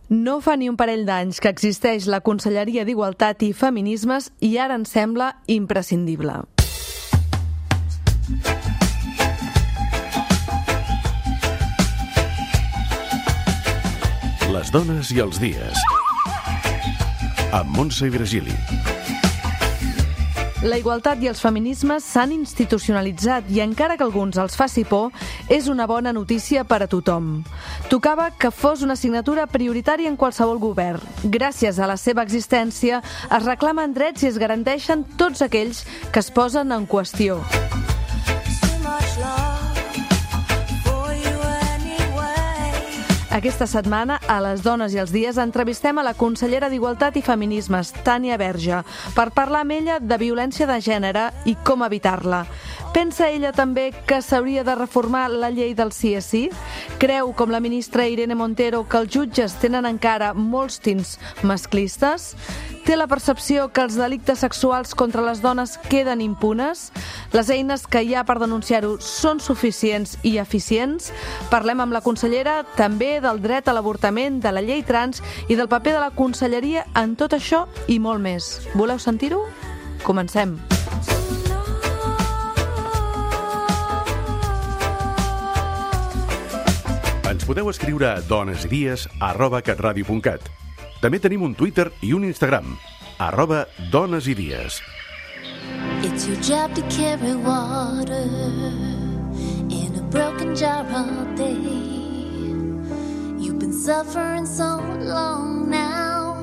No fa ni un parell d'anys que existeix la Conselleria d'Igualtat i Feminismes i ara ens sembla imprescindible. Les dones i els dies. Amb Montse i Virgili. La igualtat i els feminismes s'han institucionalitzat i encara que a alguns els faci por, és una bona notícia per a tothom. Tocava que fos una assignatura prioritària en qualsevol govern. Gràcies a la seva existència es reclamen drets i es garanteixen tots aquells que es posen en qüestió. Aquesta setmana, a Les Dones i els Dies, entrevistem a la consellera d'Igualtat i Feminismes, Tània Verge, per parlar amb ella de violència de gènere i com evitar-la. Pensa ella també que s'hauria de reformar la llei del sí és sí? Creu, com la ministra Irene Montero, que els jutges tenen encara molts tints masclistes? Té la percepció que els delictes sexuals contra les dones queden impunes? Les eines que hi ha per denunciar-ho són suficients i eficients? Parlem amb la consellera també del dret a l'avortament, de la llei trans i del paper de la conselleria en tot això i molt més. Voleu sentir-ho? Comencem. Ens podeu escriure a donesidies@catradio.cat. També tenim un Twitter i un Instagram, @donesidies. It's your job to carry water in a broken jar all day. You've been suffering so long now,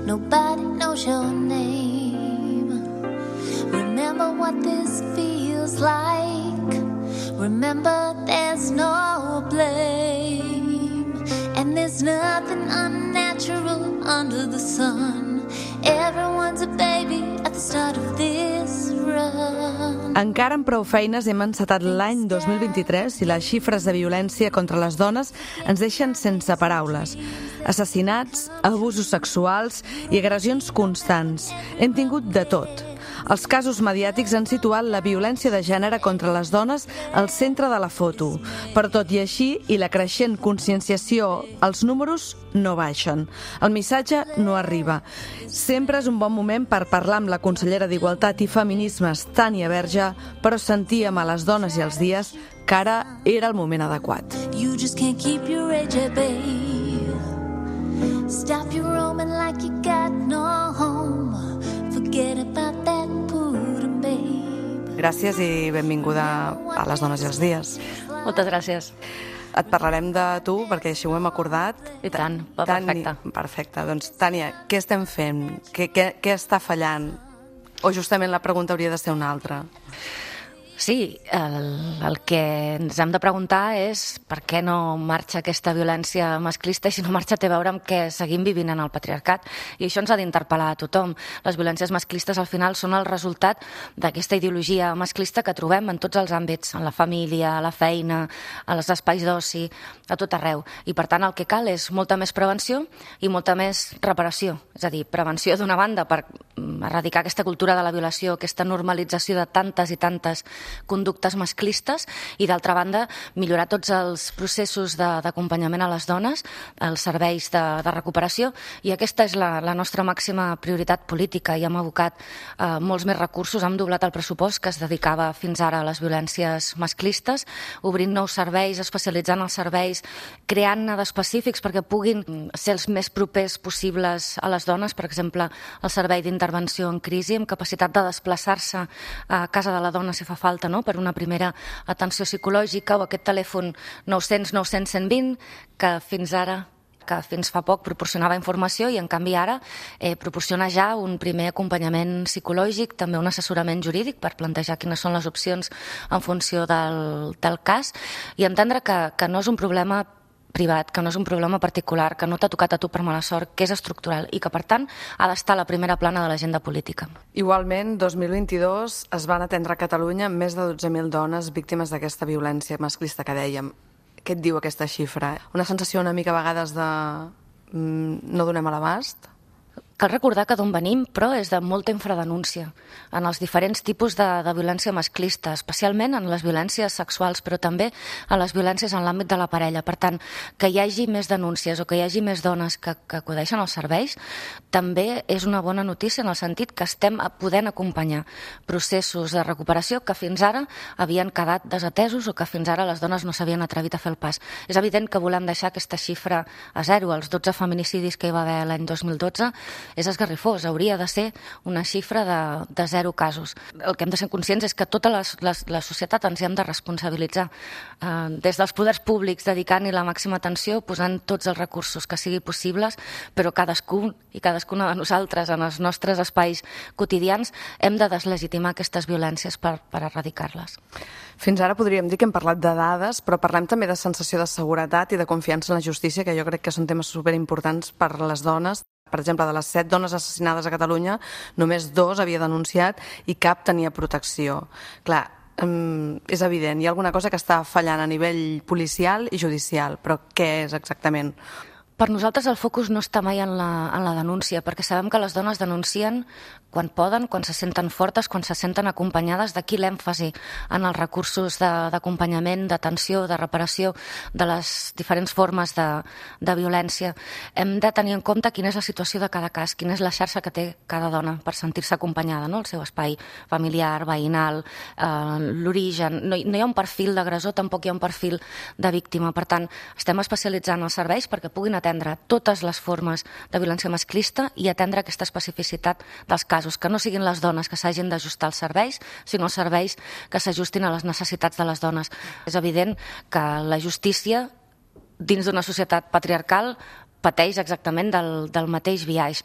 nobody knows your name. Remember what this feels like. Remember there's no blame, and there's nothing unnatural under the sun. Everyone's a baby at the start of this run. Encara amb prou feines hem encetat l'any 2023 i les xifres de violència contra les dones ens deixen sense paraules. Assassinats, abusos sexuals i agressions constants. Hem tingut de tot. Els casos mediàtics han situat la violència de gènere contra les dones al centre de la foto. Però tot i així, i la creixent conscienciació, els números no baixen. El missatge no arriba. Sempre és un bon moment per parlar amb la consellera d'Igualtat i Feminismes, Tània Verge, però sentíem a Les Dones i els Dies que ara era el moment adequat. You just can't keep your rage at bay. Stop your roaming like you got no home. Forget about that pudding, babe. Gràcies i benvinguda a Les Dones i els Dies. Moltes gràcies. Et parlarem de tu, perquè així ho hem acordat. I tant, perfecte. Perfecte. Doncs, Tània, què estem fent? Què està fallant? O justament la pregunta hauria de ser una altra? Sí, el que ens hem de preguntar és per què no marxa aquesta violència masclista i si no marxa té a veure amb què seguim vivint en el patriarcat. I això ens ha d'interpel·lar a tothom. Les violències masclistes al final són el resultat d'aquesta ideologia masclista que trobem en tots els àmbits, en la família, a la feina, als espais d'oci, a tot arreu. I per tant el que cal és molta més prevenció i molta més reparació. És a dir, prevenció d'una banda per erradicar aquesta cultura de la violació, aquesta normalització de tantes i tantes conductes masclistes i, d'altra banda, millorar tots els processos d'acompanyament a les dones, els serveis de recuperació, i aquesta és la nostra màxima prioritat política. I hem abocat molts més recursos, hem doblat el pressupost que es dedicava fins ara a les violències masclistes, obrint nous serveis, especialitzant els serveis, creant-ne d'específics perquè puguin ser els més propers possibles a les dones, per exemple, el servei d'intervenció en crisi, amb capacitat de desplaçar-se a casa de la dona si fa falta, no?, per una primera atenció psicològica, o aquest telèfon 900 900 120 que fins fa poc proporcionava informació i en canvi ara proporciona ja un primer acompanyament psicològic, també un assessorament jurídic per plantejar quines són les opcions en funció del cas, i entendre que no és un problema privat, que no és un problema particular, que no t'ha tocat a tu per mala sort, que és estructural i que, per tant, ha d'estar a la primera plana de l'agenda política. Igualment, 2022 es van atendre a Catalunya més de 12.000 dones víctimes d'aquesta violència masclista que dèiem. Què et diu aquesta xifra? Una sensació una mica a vegades de no donem a l'abast? Cal recordar que d'on venim, però, és de molta infradenúncia en els diferents tipus de violència masclista, especialment en les violències sexuals, però també en les violències en l'àmbit de la parella. Per tant, que hi hagi més denúncies o que hi hagi més dones que acudeixen als serveis també és una bona notícia en el sentit que estem podent acompanyar processos de recuperació que fins ara havien quedat desatesos o que fins ara les dones no s'havien atrevit a fer el pas. És evident que volem deixar aquesta xifra a zero. Els 12 feminicidis que hi va haver l'any 2012 és esgarrifós, hauria de ser una xifra de 0 casos. El que hem de ser conscients és que tota la societat ens hi hem de responsabilitzar. Des dels poders públics dedicant-hi la màxima atenció, posant tots els recursos que sigui possibles, però cadascun i cadascuna de nosaltres en els nostres espais quotidians hem de deslegitimar aquestes violències per erradicar-les. Fins ara podríem dir que hem parlat de dades, però parlem també de sensació de seguretat i de confiança en la justícia, que jo crec que són temes superimportants per a les dones. Per exemple, de les 7 dones assassinades a Catalunya, només 2 havia denunciat i cap tenia protecció. Clar, és evident, hi ha alguna cosa que està fallant a nivell policial i judicial, però què és exactament? Per nosaltres el focus no està mai en la denúncia, perquè sabem que les dones denuncien quan poden, quan se senten fortes, quan se senten acompanyades. D'aquí l'èmfasi en els recursos d'acompanyament, d'atenció, de reparació de les diferents formes de violència. Hem de tenir en compte quina és la situació de cada cas, quina és la xarxa que té cada dona per sentir-se acompanyada, no? El seu espai familiar, veïnal, l'origen. No hi ha un perfil d'agressor, tampoc hi ha un perfil de víctima. Per tant, estem especialitzant els serveis perquè puguin atendre totes les formes de violència masclista i atendre aquesta especificitat dels casos, que no siguin les dones que s'hagin d'ajustar als serveis, sinó els serveis que s'ajustin a les necessitats de les dones. És evident que la justícia, dins d'una societat patriarcal, pateix exactament del mateix biaix.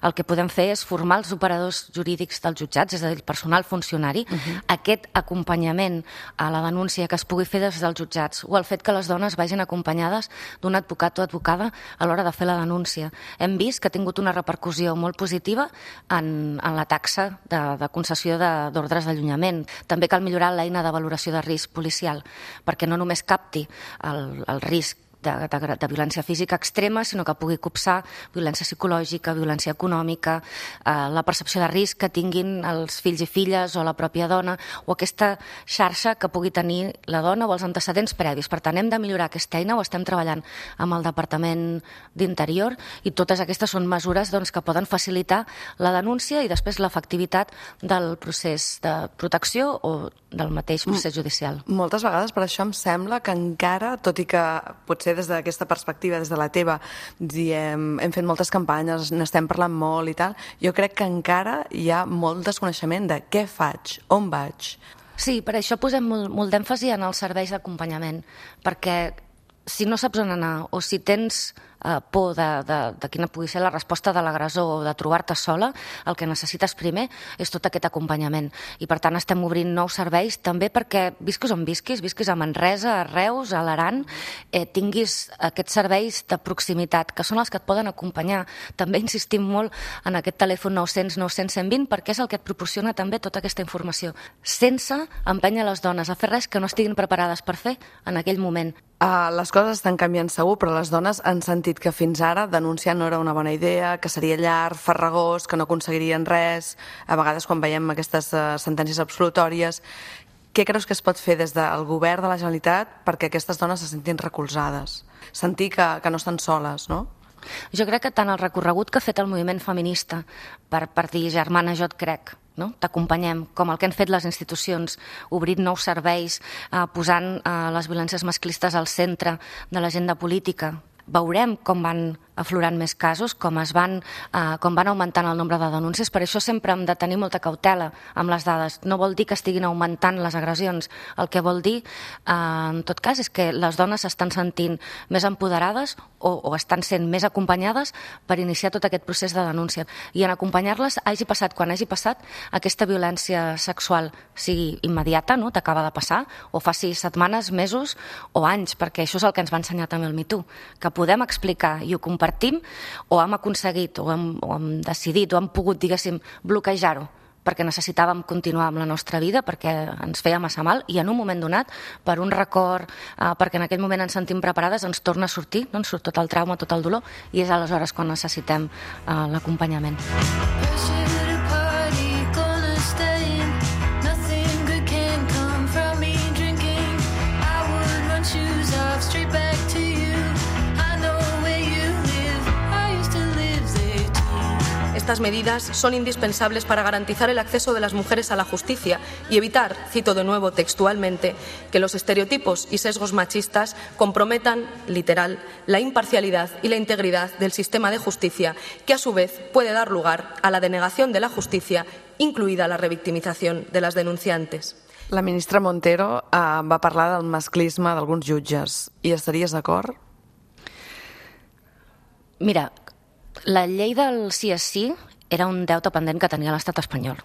El que podem fer és formar els operadors jurídics dels jutjats, és a dir, el personal funcionari, aquest acompanyament a la denúncia que es pugui fer des dels jutjats, o el fet que les dones vagin acompanyades d'un advocat o advocada a l'hora de fer la denúncia. Hem vist que ha tingut una repercussió molt positiva en la taxa de concessió d'ordres d'allunyament. També cal millorar l'eina de valoració de risc policial, perquè no només capti el risc de violència física extrema, sinó que pugui copsar violència psicològica, violència econòmica, la percepció de risc que tinguin els fills i filles o la pròpia dona, o aquesta xarxa que pugui tenir la dona o els antecedents previs. Per tant, hem de millorar aquesta eina, ho estem treballant amb el Departament d'Interior, i totes aquestes són mesures que poden facilitar la denúncia i després l'efectivitat del procés de protecció o del mateix procés judicial. Moltes vegades per això em sembla que encara, tot i que potser des d'aquesta perspectiva, des de la teva, hem fet moltes campanyes, n'estem parlant molt i tal, jo crec que encara hi ha molt desconeixement de què faig, on vaig. Sí, per això posem molt d'èmfasi en els serveis d'acompanyament, perquè si no saps on anar o si tens por de quina pugui ser la resposta de l'agressor o de trobar-te sola, el que necessites primer és tot aquest acompanyament. I per tant estem obrint nous serveis també perquè visquis on visquis a Manresa, a Reus, a l'Aran, tinguis aquests serveis de proximitat, que són els que et poden acompanyar. També insistim molt en aquest telèfon 900 900 120 perquè és el que et proporciona també tota aquesta informació, sense empènyer les dones a fer res que no estiguin preparades per fer en aquell moment. Les coses estan canviant segur, però les dones han sentit que fins ara denunciar no era una bona idea, que seria llarg, farragós, que no aconseguirien res. A vegades quan veiem aquestes sentències absolutòries, què creus que es pot fer des del govern de la Generalitat perquè aquestes dones se sentin recolzades? Sentir que no estan soles, no? Jo crec que tant el recorregut que ha fet el moviment feminista per dir germana jo et crec, no? T'acompanyem, com el que han fet les institucions, obrint nous serveis, posant les violències masclistes al centre de l'agenda política. Veurem com van aflorant més casos, com van augmentant el nombre de denúncies. Per això sempre hem de tenir molta cautela amb les dades. No vol dir que estiguin augmentant les agressions. El que vol dir, en tot cas, és que les dones s'estan sentint més empoderades o estan sent més acompanyades per iniciar tot aquest procés de denúncia. I en acompanyar-les, hagi passat quan hagi passat, aquesta violència sexual sigui immediata, no? T'acaba de passar, o faci setmanes, mesos o anys, perquè això és el que ens va ensenyar també el Me Too, que podem explicar i ho compartim, o hem aconseguit, o hem decidit, o hem pogut, diguéssim, bloquejar-ho perquè necessitàvem continuar amb la nostra vida, perquè ens feia massa mal, i en un moment donat, per un record, perquè en aquell moment ens sentim preparades, ens torna a sortir, no? Ens surt tot el trauma, tot el dolor, i és aleshores quan necessitem l'acompanyament. Estas medidas son indispensables para garantizar el acceso de las mujeres a la justicia y evitar, cito de nuevo textualmente, que los estereotipos y sesgos machistas comprometan, literal, la imparcialidad y la integridad del sistema de justicia, que a su vez puede dar lugar a la denegación de la justicia, incluida la revictimización de las denunciantes. La ministra Montero va parlar del masclisme d'alguns jutges. Hi estaries d'acord? Mira, la llei del sí és sí era un deute pendent que tenia l'estat espanyol.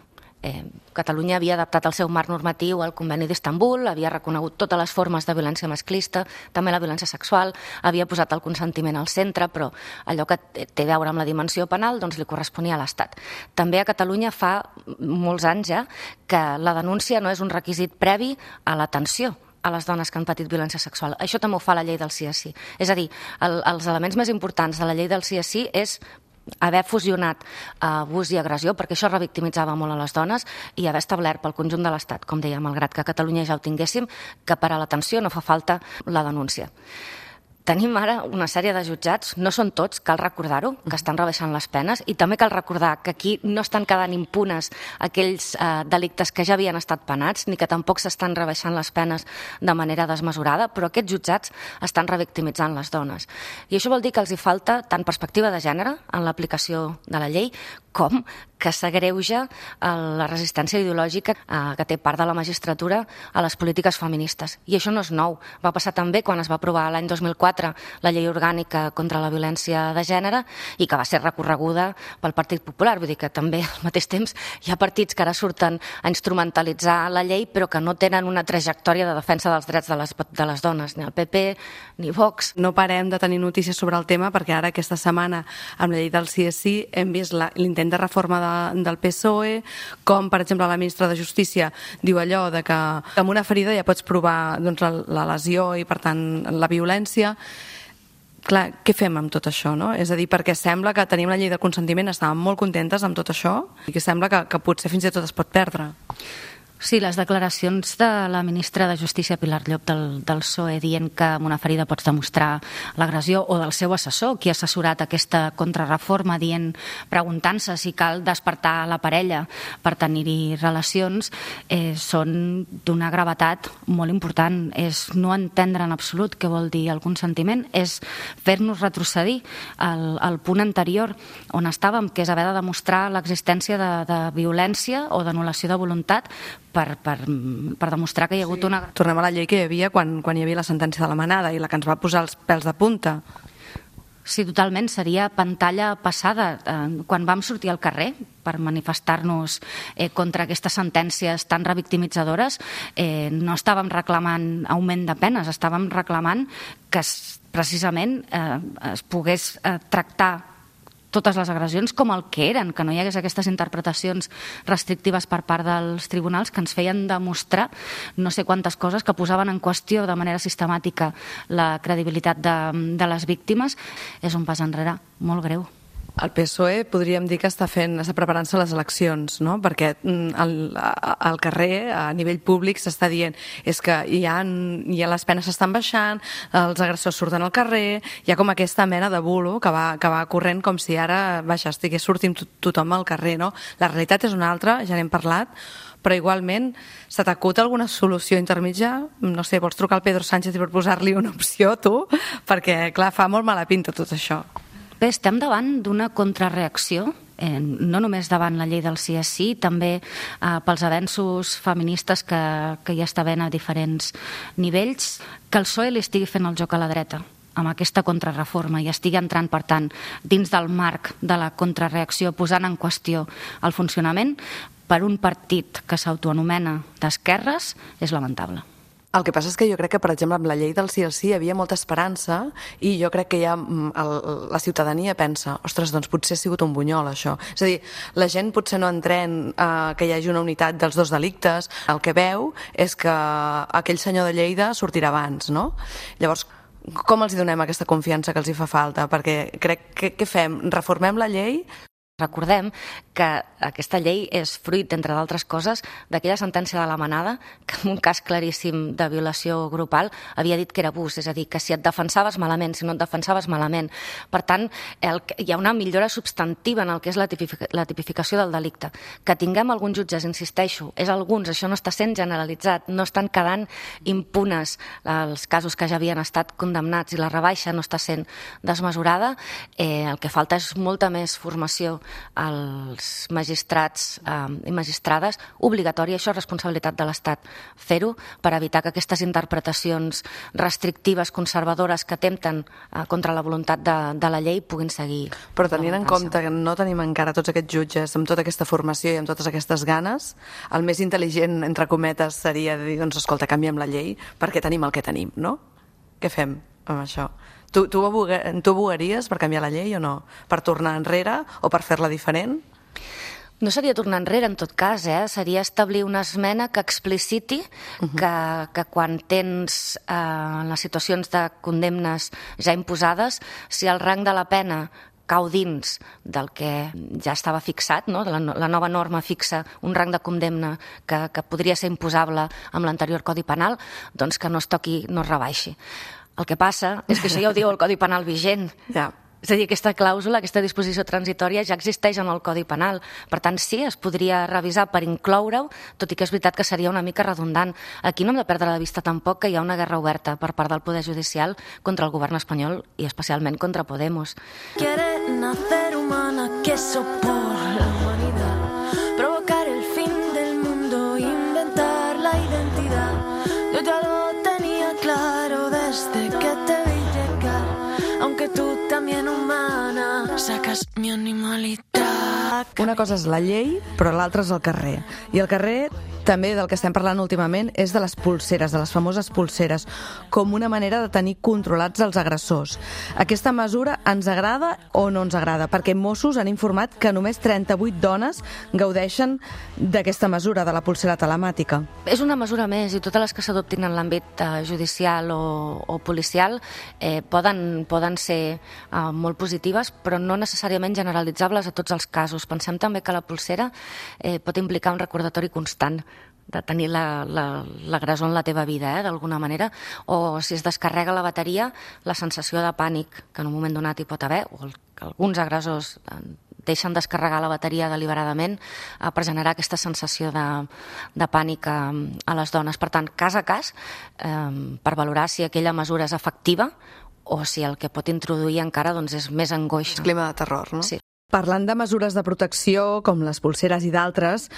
Catalunya havia adaptat el seu marc normatiu al Conveni d'Istanbul, havia reconegut totes les formes de violència masclista, també la violència sexual, havia posat el consentiment al centre, però allò que té a veure amb la dimensió penal doncs li corresponia a l'Estat. També a Catalunya fa molts anys ja que la denúncia no és un requisit previ a l'atenció a les dones que han patit violència sexual. Això també ho fa la llei del sí és sí. És a dir, els elements més importants de la llei del sí és sí és haver fusionat abús i agressió, perquè això revictimitzava molt a les dones, i haver establert pel conjunt de l'Estat, com deia, malgrat que a Catalunya ja ho tinguéssim, que per a l'atenció no fa falta la denúncia. Tenim ara una sèrie de jutjats, no són tots, cal recordar-ho, que estan rebaixant les penes, i també cal recordar que aquí no estan quedant impunes aquells delictes que ja havien estat penats, ni que tampoc s'estan rebaixant les penes de manera desmesurada, però aquests jutjats estan revictimitzant les dones. I això vol dir que els hi falta tant perspectiva de gènere en l'aplicació de la llei, com que s'agreuja la resistència ideològica que té part de la magistratura a les polítiques feministes. I això no és nou. Va passar també quan es va aprovar l'any 2004 la llei orgànica contra la violència de gènere i que va ser recorreguda pel Partit Popular. Vull dir que també al mateix temps hi ha partits que ara surten a instrumentalitzar la llei però que no tenen una trajectòria de defensa dels drets de les dones, ni el PP ni Vox. No parem de tenir notícies sobre el tema perquè ara aquesta setmana amb la llei del sí és sí hem vist l'intent de reforma del PSOE, com per exemple la ministra de Justícia diu allò de que amb una ferida ja pots provar doncs, la lesió i per tant la violència. Clar, què fem amb tot això, no? És a dir, perquè sembla que tenim la llei de consentiment, estàvem molt contentes amb tot això i que sembla que potser fins i tot es pot perdre. Sí, les declaracions de la ministra de Justícia, Pilar Llop, del PSOE, dient que amb una ferida pots demostrar l'agressió, o del seu assessor, qui ha assessorat aquesta contrarreforma, preguntant-se si cal despertar la parella per tenir-hi relacions, són d'una gravetat molt important. És no entendre en absolut què vol dir el consentiment, és fer-nos retrocedir al punt anterior on estàvem, que és haver de demostrar l'existència de violència o d'anul·lació de voluntat per demostrar que hi ha hagut una... Tornem a la llei que hi havia quan hi havia la sentència de la manada i la que ens va posar els pèls de punta. Sí, totalment. Seria pantalla passada. Quan vam sortir al carrer per manifestar-nos contra aquestes sentències tan revictimitzadores, no estàvem reclamant augment de penes, estàvem reclamant que precisament es pogués tractar totes les agressions com el que eren, que no hi hagués aquestes interpretacions restrictives per part dels tribunals que ens feien demostrar no sé quantes coses que posaven en qüestió de manera sistemàtica la credibilitat de les víctimes. És un pas enrere molt greu. El PSOE podríem dir que està preparant-se les eleccions, no? Perquè al carrer, a nivell públic, s'està dient és que ja les penes s'estan baixant, els agressors surten al carrer, hi ha com aquesta mena de bulo que va corrent com si ara estigués sortint tothom al carrer, no? La realitat és una altra, ja n'hem parlat, però igualment se t'acut alguna solució intermitja? No sé, vols trucar al Pedro Sánchez i posar-li una opció, tu? Perquè, clar, fa molt mala pinta tot això. Bé, estem davant d'una contrarreacció, no només davant la llei del sí és sí, també pels avenços feministes que hi està havent a diferents nivells, que el PSOE li estigui fent el joc a la dreta amb aquesta contrarreforma i estigui entrant, per tant, dins del marc de la contrarreacció, posant en qüestió el funcionament per un partit que s'autoanomena d'esquerres, és lamentable. El que passa és que jo crec que, per exemple, amb la llei del sí al sí hi havia molta esperança i jo crec que ja la ciutadania pensa, ostres, doncs potser ha sigut un bunyol, això. És a dir, la gent potser no entén que hi hagi una unitat dels dos delictes, el que veu és que aquell senyor de Lleida sortirà abans, no? Llavors, com els donem aquesta confiança que els hi fa falta? Perquè crec que què fem? Reformem la llei? Recordem que aquesta llei és fruit, entre d'altres coses, d'aquella sentència de la Manada, que en un cas claríssim de violació grupal havia dit que era abús, és a dir, que si et defensaves malament, si no et defensaves malament. Per tant, hi ha una millora substantiva en el que és la tipificació del delicte. Que tinguem alguns jutges, insisteixo, és alguns, això no està sent generalitzat, no estan quedant impunes els casos que ja havien estat condemnats i la rebaixa no està sent desmesurada. El que falta és molta més formació als magistrats i magistrades, obligatòria, això és responsabilitat de l'Estat fer-ho, per evitar que aquestes interpretacions restrictives, conservadores, que atempten contra la voluntat de la llei puguin seguir. Però tenint en compte que no tenim encara tots aquests jutges amb tota aquesta formació i amb totes aquestes ganes, el més intel·ligent, entre cometes, seria dir, doncs escolta, canviem la llei perquè tenim el que tenim, no? Què fem amb això? Tu abogaries per canviar la llei o no? Per tornar enrere o per fer-la diferent? No seria tornar enrere, en tot cas, seria establir una esmena que expliciti que quan tens les situacions de condemnes ja imposades, si el rang de la pena cau dins del que ja estava fixat, no? La nova norma fixa un rang de condemna que podria ser imposable amb l'anterior Codi Penal, doncs que no es toqui, no es rebaixi. El que passa és que això ja ho diu el Codi Penal vigent. Ja. És a dir, aquesta clàusula, aquesta disposició transitòria ja existeix en el Codi Penal. Per tant, sí, es podria revisar per incloure-ho, tot i que és veritat que seria una mica redundant. Aquí no hem de perdre de vista tampoc que hi ha una guerra oberta per part del Poder Judicial contra el govern espanyol i especialment contra Podemos. Quieren hacer humana queso por la humanidad, provocar el fin del mundo, inventar la identidad. Yo ya lo tenía claro desde que te vi llegar, aunque tú también humana sacas mi animalitat. Una cosa és la llei, però l'altra és el carrer. I el carrer, també del que estem parlant últimament, és de les polseres, de les famoses polseres, com una manera de tenir controlats els agressors. Aquesta mesura ens agrada o no ens agrada? Perquè Mossos han informat que només 38 dones gaudeixen d'aquesta mesura, de la polsera telemàtica. És una mesura més i totes les que s'adoptin en l'àmbit judicial o policial poden ser molt positives, però no necessàriament generalitzables a tots els casos. Pensem també que la polsera pot implicar un recordatori constant de tenir l'agressor en la teva vida, d'alguna manera, o si es descarrega la bateria, la sensació de pànic que en un moment donat hi pot haver, o que alguns agressors deixen descarregar la bateria deliberadament per generar aquesta sensació de pànic a les dones. Per tant, cas a cas, per valorar si aquella mesura és efectiva o si el que pot introduir encara és més angoixa. És clima de terror, no? Sí. Parlant de mesures de protecció, com les polseres i d'altres,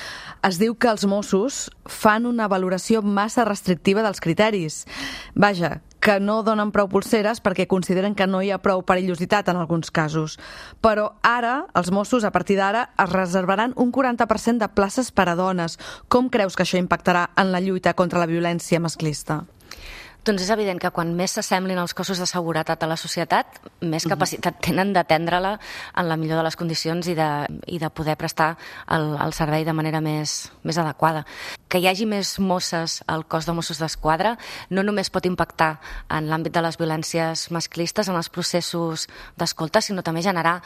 es diu que els Mossos fan una valoració massa restrictiva dels criteris. Vaja, que no donen prou polseres perquè consideren que no hi ha prou perillositat en alguns casos. Però ara, els Mossos, a partir d'ara, es reservaran un 40% de places per a dones. Com creus que això impactarà en la lluita contra la violència masclista? Doncs és evident que quan més s'assemblin els cossos de seguretat a la societat, més capacitat tenen d'atendre-la en la millor de les condicions i de poder prestar el servei de manera més adequada. Que hi hagi més Mosses al cos de Mossos d'Esquadra no només pot impactar en l'àmbit de les violències masclistes, en els processos d'escolta, sinó també generar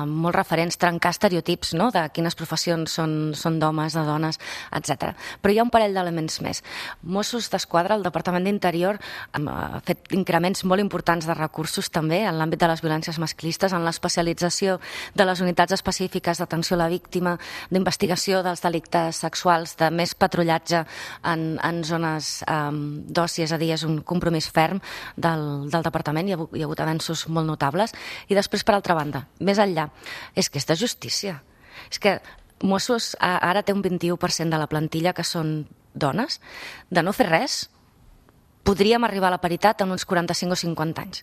molts referents, trencar estereotips, no?, de quines professions són d'homes, de dones, etc. Però hi ha un parell d'elements més. Mossos d'Esquadra, el Departament d'Interior, ha fet increments molt importants de recursos també en l'àmbit de les violències masclistes, en l'especialització de les unitats específiques d'atenció a la víctima, d'investigació dels delictes sexuals, de més patrullatge en zones d'oci, és a dir, és un compromís ferm del departament, hi ha hagut avenços molt notables. I després, per altra banda, més enllà, és que és de justícia. És que Mossos ara té un 21% de la plantilla que són dones. De no fer res, podríem arribar a la paritat en uns 45 o 50 anys.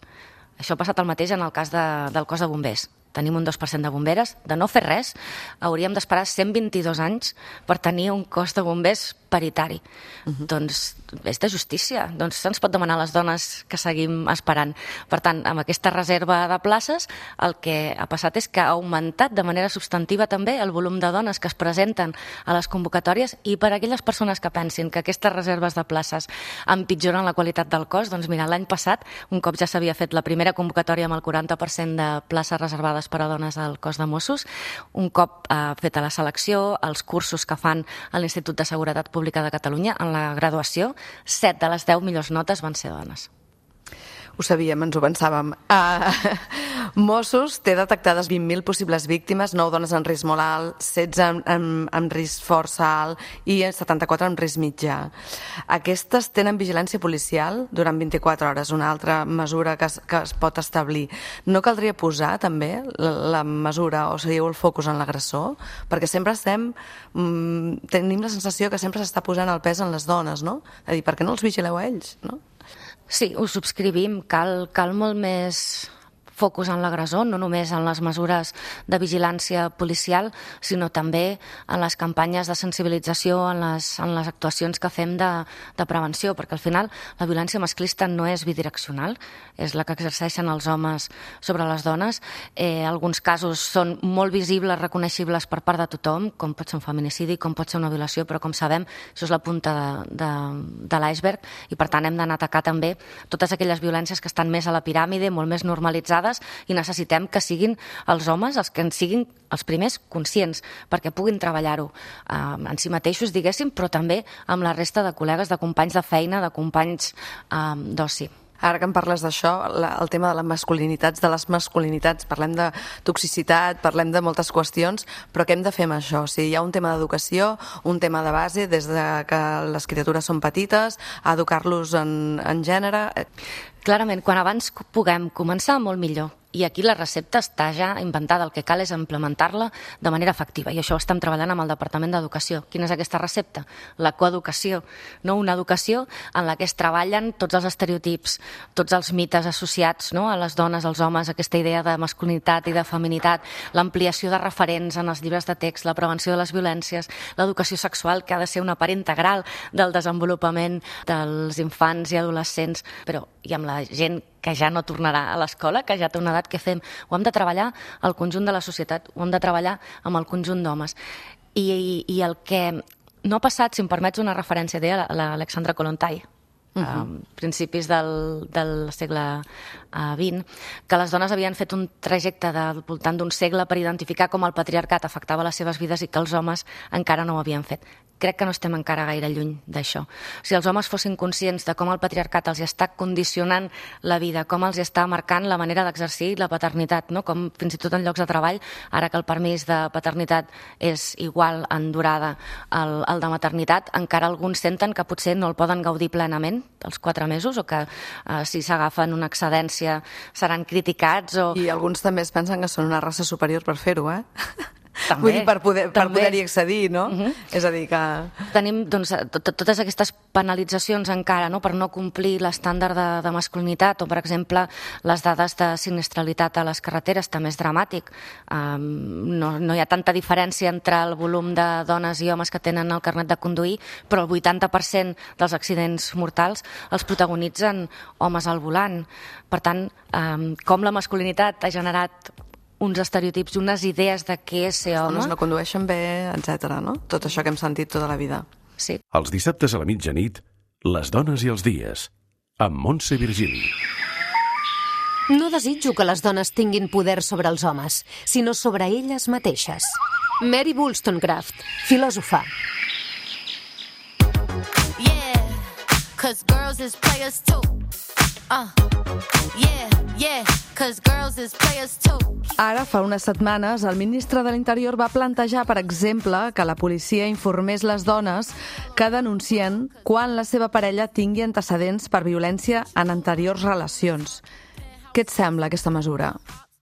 Això ha passat el mateix en el cas del cos de bombers. tenim un 2% de bomberes, de no fer res, hauríem d'esperar 122 anys per tenir un cos de bombers paritari. Doncs és de justícia. Doncs se'ns pot demanar a les dones que seguim esperant. Per tant, amb aquesta reserva de places, el que ha passat és que ha augmentat de manera substantiva també el volum de dones que es presenten a les convocatòries, i per a aquelles persones que pensin que aquestes reserves de places empitjoren la qualitat del cos, doncs mira, l'any passat, un cop ja s'havia fet la primera convocatòria amb el 40% de places reservades per a dones al cos de Mossos, un cop feta la selecció, els cursos que fan a l'Institut de Seguretat Pública de Catalunya, en la graduació, 7 de les 10 millors notes van ser dones. Ho sabíem, ens ho pensàvem. Mossos té detectades 20.000 possibles víctimes, 9 dones en risc molt alt, 16 amb risc força alt i 74 amb risc mitjà. Aquestes tenen vigilància policial durant 24 hores, una altra mesura que es pot establir. No caldria posar també la mesura o seguiu el focus en l'agressor? Perquè sempre tenim la sensació que sempre s'està posant el pes en les dones, no? És a dir, per què no els vigileu a ells, no? Sí, ho subscrivim. Cal molt més focus en l'agressor, no només en les mesures de vigilància policial, sinó també en les campanyes de sensibilització, en les actuacions que fem de prevenció, perquè al final la violència masclista no és bidireccional, és la que exerceixen els homes sobre les dones. Alguns casos són molt visibles, reconeixibles per part de tothom, com pot ser un feminicidi, com pot ser una violació, però com sabem, això és la punta de l'iceberg, i per tant hem d'anar a atacar també totes aquelles violències que estan més a la piràmide, molt més normalitzades, i necessitem que siguin els homes els que en siguin els primers conscients, perquè puguin treballar-ho en si mateixos, diguéssim, però també amb la resta de col·legues, de companys de feina, de companys d'oci. Ara que em parles d'això, el tema de les masculinitats, parlem de toxicitat, parlem de moltes qüestions, però què hem de fer amb això? O sigui, hi ha un tema d'educació, un tema de base, des de que les criatures són petites, a educar-los en gènere. Clarament, quan abans puguem començar, molt millor. I aquí la recepta està ja inventada, el que cal és implementar-la de manera efectiva, i això ho estem treballant amb el Departament d'Educació. Quina és aquesta recepta? La coeducació, no? Una educació en la que es treballen tots els estereotips, tots els mites associats, no? A les dones, als homes, aquesta idea de masculinitat i de feminitat, l'ampliació de referents en els llibres de text, la prevenció de les violències, l'educació sexual, que ha de ser una part integral del desenvolupament dels infants i adolescents, però i amb la gent que ja no tornarà a l'escola, que ja té una edat, que fem? Ho hem de treballar al conjunt de la societat, ho hem de treballar amb el conjunt d'homes. I el que no ha passat, si em permets una referència, deia l'Alexandra Kollontai, principis del segle XX, que les dones havien fet un trajecte del voltant d'un segle per identificar com el patriarcat afectava les seves vides i que els homes encara no ho havien fet. Crec que no estem encara gaire lluny d'això. Si els homes fossin conscients de com el patriarcat els està condicionant la vida, com els està marcant la manera d'exercir la paternitat, no? Com fins i tot en llocs de treball, ara que el permís de paternitat és igual en durada al de maternitat, encara alguns senten que potser no el poden gaudir plenament els 4 mesos, o que si s'agafen una excedència seran criticats. I alguns també es pensen que són una raça superior per fer-ho, eh? També, vull dir, per poder-hi accedir, no? És a dir, que... Tenim doncs, totes aquestes penalitzacions encara, no?, per no complir l'estàndard de masculinitat, o, per exemple, les dades de sinistralitat a les carreteres, també és dramàtic. No hi ha tanta diferència entre el volum de dones i homes que tenen el carnet de conduir, però el 80% dels accidents mortals els protagonitzen homes al volant. Per tant, com la masculinitat ha generat uns estereotips, unes idees de què és ser home. Les dones no condueixen bé, etc., no? Tot això que hem sentit tota la vida. Sí. Els dissabtes a la mitjanit, les dones i els dies, amb Montse Virgili. No desitjo que les dones tinguin poder sobre els homes, sinó sobre elles mateixes. Mary Wollstonecraft, filòsofa. Yeah, 'cause girls is players too. Yeah, 'cause girls is players too. Ara, fa unes setmanes, el ministre de l'Interior va plantejar, per exemple, que la policia informés les dones que denuncien quan la seva parella tingui antecedents per violència en anteriors relacions. Què et sembla, aquesta mesura?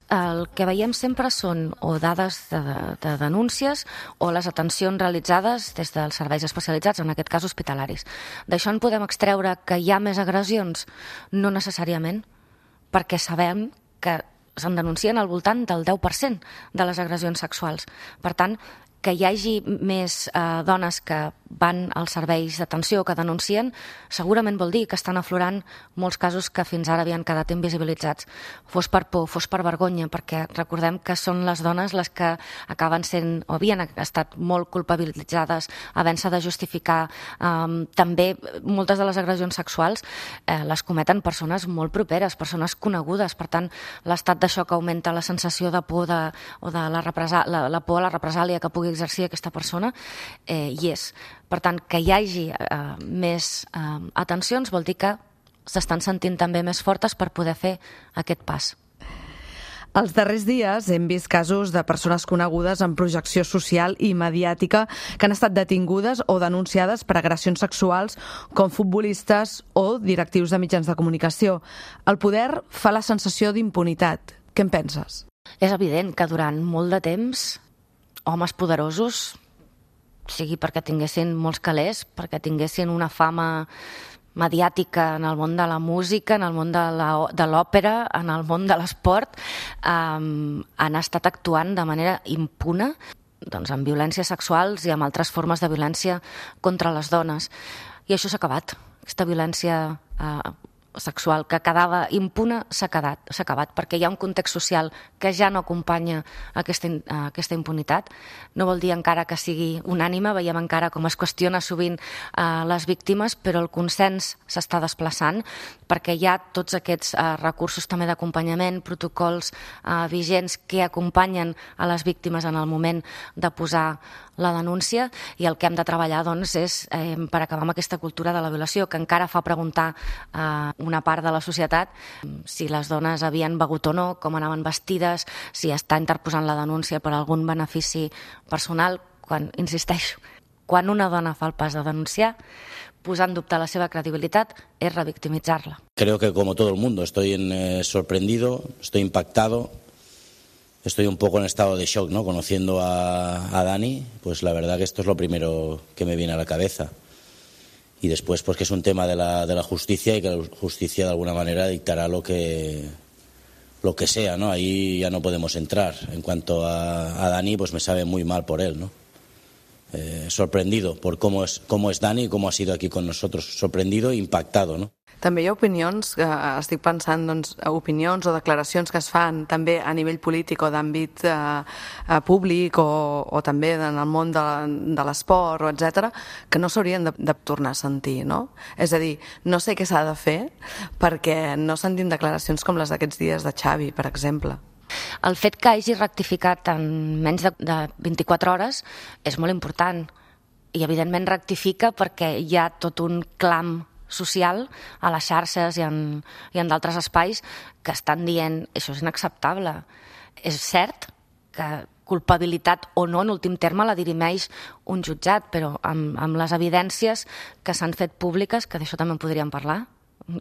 El que veiem sempre són o dades de denúncies o les atencions realitzades des dels serveis especialitzats, en aquest cas hospitalaris. D'això en podem extreure que hi ha més agressions? No necessàriament, perquè sabem que se'n denuncien al voltant del 10% de les agressions sexuals. Per tant, que hi hagi més dones que van als serveis d'atenció, que denuncien, segurament vol dir que estan aflorant molts casos que fins ara havien quedat invisibilitzats. Fos per por, fos per vergonya, perquè recordem que són les dones les que acaben sent, o havien estat molt culpabilitzades, havent-se de justificar. També moltes de les agressions sexuals les cometen persones molt properes, persones conegudes. Per tant, l'estat de xoc augmenta la sensació de por o de la por a la represàlia que pugui exercir aquesta persona, i és. Per tant, que hi hagi més atencions vol dir que s'estan sentint també més fortes per poder fer aquest pas. Els darrers dies hem vist casos de persones conegudes en projecció social i mediàtica que han estat detingudes o denunciades per agressions sexuals, com futbolistes o directius de mitjans de comunicació. El poder fa la sensació d'impunitat. Què en penses? És evident que durant molt de temps homes poderosos, sigui perquè tinguessin molts calés, perquè tinguessin una fama mediàtica en el món de la música, en el món de l'òpera, en el món de l'esport, han estat actuant de manera impune amb violències sexuals i amb altres formes de violència contra les dones. I això s'ha acabat. Aquesta violència sexual que quedava impune s'ha acabat, perquè hi ha un context social que ja no acompanya aquesta impunitat. No vol dir encara que sigui unànime, veiem encara com es qüestiona sovint les víctimes, però el consens s'està desplaçant perquè hi ha tots aquests recursos també d'acompanyament, protocols vigents que acompanyen a les víctimes en el moment de posar la denúncia, i el que hem de treballar és per acabar amb aquesta cultura de la violació que encara fa preguntar una part de la societat si les dones havien begut o no, com anaven vestides, si està interposant la denúncia per algun benefici personal, insisteixo, quan una dona fa el pas de denunciar, posar en dubte la seva credibilitat és revictimitzar-la. Creo que como todo el mundo estoy sorprendido, estoy impactado. Estoy un poco en estado de shock, ¿no? Conociendo a Dani, pues la verdad que esto es lo primero que me viene a la cabeza. Y después, pues que es un tema de la justicia y que la justicia de alguna manera dictará lo que sea, ¿no? Ahí ya no podemos entrar. En cuanto a Dani, pues me sabe muy mal por él, ¿no? Sorprendido por cómo es Dani y cómo ha sido aquí con nosotros. Sorprendido e impactado, ¿no? També hi ha opinions, estic pensant, opinions o declaracions que es fan també a nivell polític o d'àmbit públic o també en el món de l'esport, etc., que no s'haurien de tornar a sentir, no? És a dir, no sé què s'ha de fer perquè no sentim declaracions com les d'aquests dies de Xavi, per exemple. El fet que hagi rectificat en menys de 24 hores és molt important i evidentment rectifica perquè hi ha tot un clam social a les xarxes i en d'altres espais que estan dient això és inacceptable. És cert que culpabilitat o no, en últim terme, la dirimeix un jutjat, però amb les evidències que s'han fet públiques, que d'això també en podríem parlar,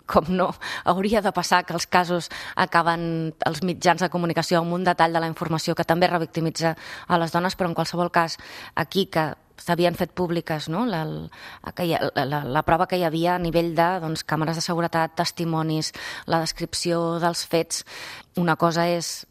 com no hauria de passar que els casos acaben els mitjans de comunicació amb un detall de la informació que també revictimitza a les dones, però en qualsevol cas aquí que s'havien fet públiques, no? La prova que hi havia a nivell de càmeres de seguretat, testimonis, la descripció dels fets. Una cosa és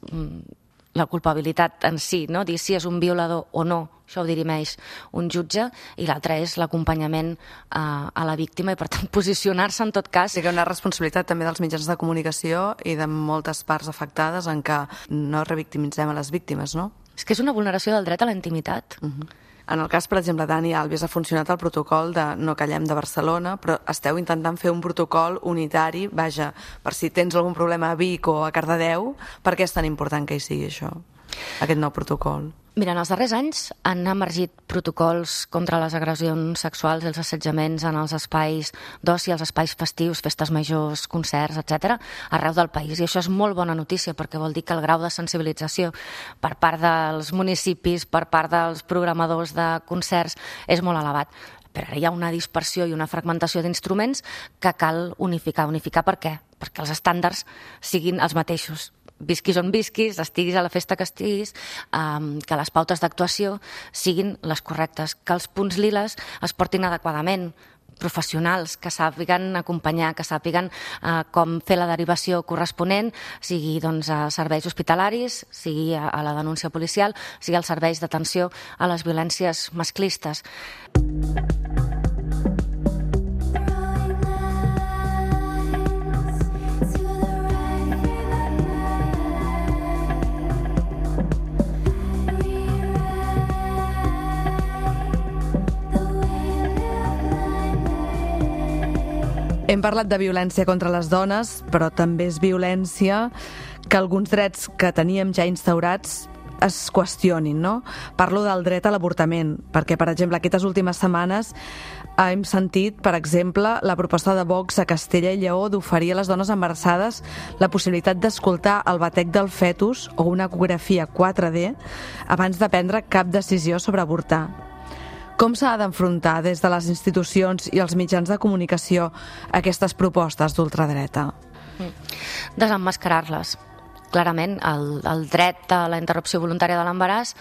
la culpabilitat en si, no? Dir si és un violador o no, això ho dirimeix un jutge, i l'altra és l'acompanyament a la víctima i, per tant, posicionar-se en tot cas. Sí que hi ha una responsabilitat també dels mitjans de comunicació i de moltes parts afectades en què no revictimitzem a les víctimes, no? És que és una vulneració del dret a la intimitat. En el cas, per exemple, Dani Alves, ha funcionat el protocol de No Callem de Barcelona, però esteu intentant fer un protocol unitari, vaja, per si tens algun problema a Vic o a Cardedeu, per què és tan important que hi sigui això, aquest nou protocol? Mira, en els darrers anys han emergit protocols contra les agressions sexuals i els assetjaments en els espais d'oci, els espais festius, festes majors, concerts, etc., arreu del país. I això és molt bona notícia perquè vol dir que el grau de sensibilització per part dels municipis, per part dels programadors de concerts, és molt elevat. Però ara hi ha una dispersió i una fragmentació d'instruments que cal unificar. Unificar per què? Perquè els estàndards siguin els mateixos. Visquis on visquis, estiguis a la festa que estiguis, que les pautes d'actuació siguin les correctes, que els punts liles es portin adequadament, professionals que sàpiguen acompanyar, que sàpiguen com fer la derivació corresponent, sigui doncs, a serveis hospitalaris, sigui a la denúncia policial, sigui als serveis d'atenció a les violències masclistes. Hem parlat de violència contra les dones, però també és violència que alguns drets que teníem ja instaurats es qüestionin, no? Parlo del dret a l'avortament, perquè, per exemple, aquestes últimes setmanes hem sentit, per exemple, la proposta de Vox a Castella i Lleó d'oferir a les dones embarassades la possibilitat d'escoltar el batec del fetus o una ecografia 4D abans de prendre cap decisió sobre avortar. Com s'ha d'enfrontar des de les institucions i els mitjans de comunicació aquestes propostes d'ultradreta? Desemmascarar-les. Clarament, el dret a la interrupció voluntària de l'embaràs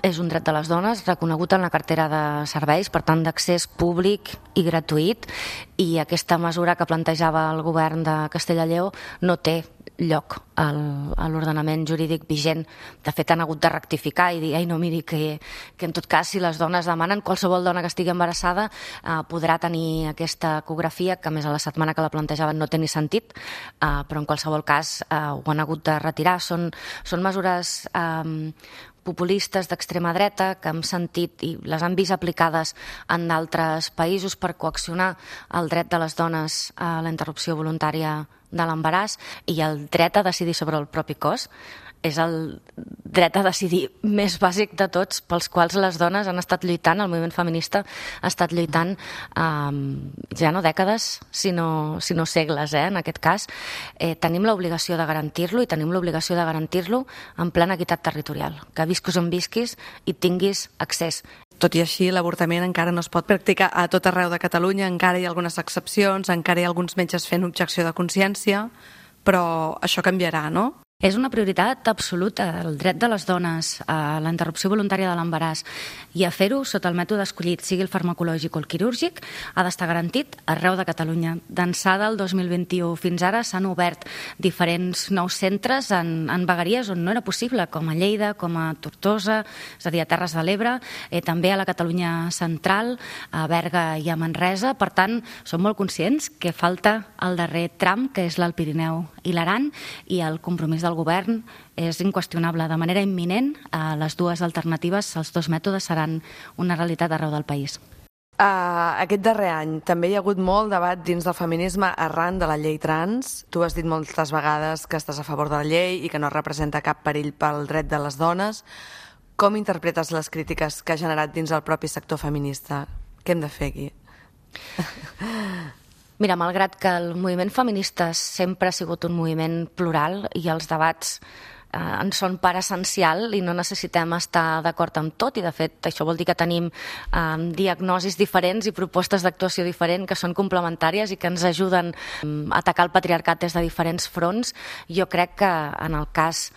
és un dret de les dones reconegut en la cartera de serveis, per tant d'accés públic i gratuït, i aquesta mesura que plantejava el govern de Castella i Lleó no té lloc a l'ordenament jurídic vigent. De fet, han hagut de rectificar i dir, no, miri, que en tot cas, si les dones demanen, qualsevol dona que estigui embarassada podrà tenir aquesta ecografia, que a més a la setmana que la plantejaven no té ni sentit, però en qualsevol cas ho han hagut de retirar. Són mesures populistes d'extrema dreta que hem sentit i les han vist aplicades en d'altres països per coaccionar el dret de les dones a la interrupció voluntària de l'embaràs, i el dret a decidir sobre el propi cos és el dret a decidir més bàsic de tots, pels quals les dones han estat lluitant, el moviment feminista ha estat lluitant ja no dècades, sinó segles, en aquest cas. Tenim l'obligació de garantir-lo, i tenim l'obligació de garantir-lo en plena equitat territorial, que visquis on visquis i tinguis accés. Tot i així, l'avortament encara no es pot practicar a tot arreu de Catalunya, encara hi ha algunes excepcions, encara hi ha alguns metges fent objecció de consciència, però això canviarà, no? És una prioritat absoluta, el dret de les dones a la interrupció voluntària de l'embaràs, i a fer-ho sota el mètode escollit, sigui el farmacològic o el quirúrgic, ha d'estar garantit arreu de Catalunya. D'ençà del 2021 fins ara s'han obert diferents nous centres en vegueries on no era possible, com a Lleida, com a Tortosa, és a dir, a Terres de l'Ebre, també a la Catalunya central, a Berga i a Manresa. Per tant, som molt conscients que falta el darrer tram, que és l'Alt Pirineu i l'Aran, i el compromís del govern és inqüestionable. De manera imminent, les dues alternatives, els dos mètodes, seran una realitat arreu del país. Aquest darrer any també hi ha hagut molt debat dins del feminisme arran de la llei trans. Tu has dit moltes vegades que estàs a favor de la llei i que no representa cap perill pel dret de les dones. Com interpretes les crítiques que ha generat dins el propi sector feminista? Què hem de fer aquí? Mira, malgrat que el moviment feminista sempre ha sigut un moviment plural i els debats en són part essencial i no necessitem estar d'acord amb tot, i de fet això vol dir que tenim diagnosis diferents i propostes d'actuació diferent que són complementàries i que ens ajuden a atacar el patriarcat des de diferents fronts. Jo crec que en el cas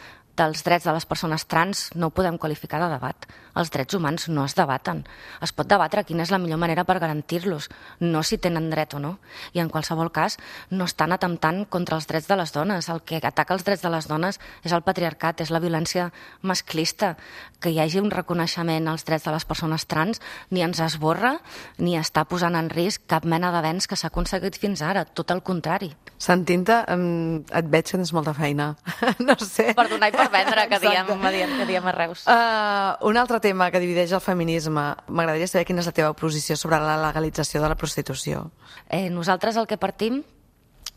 dels drets de les persones trans no ho podem qualificar de debat. Els drets humans no es debaten. Es pot debatre quina és la millor manera per garantir-los, no si tenen dret o no. I en qualsevol cas no estan atemptant contra els drets de les dones. El que ataca els drets de les dones és el patriarcat, és la violència masclista. Que hi hagi un reconeixement als drets de les persones trans ni ens esborra ni està posant en risc cap mena d'avenç que s'ha aconseguit fins ara, tot el contrari. Sentint-te, et veig que tens molta feina. No sé. Per donar i per vendre, que diem a Reus. Un altre tema que divideix el feminisme. M'agradaria saber quina és la teva posició sobre la legalització de la prostitució. Nosaltres el que partim,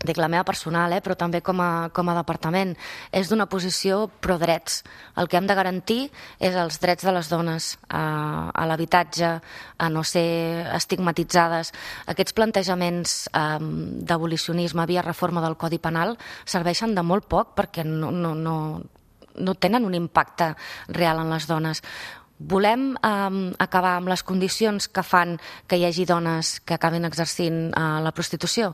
dic la meva personal, però també com a departament, és d'una posició pro-drets. El que hem de garantir és els drets de les dones a l'habitatge, a no ser estigmatitzades. Aquests plantejaments d'abolicionisme via reforma del Codi Penal serveixen de molt poc perquè no tenen un impacte real en les dones. Volem acabar amb les condicions que fan que hi hagi dones que acabin exercint la prostitució?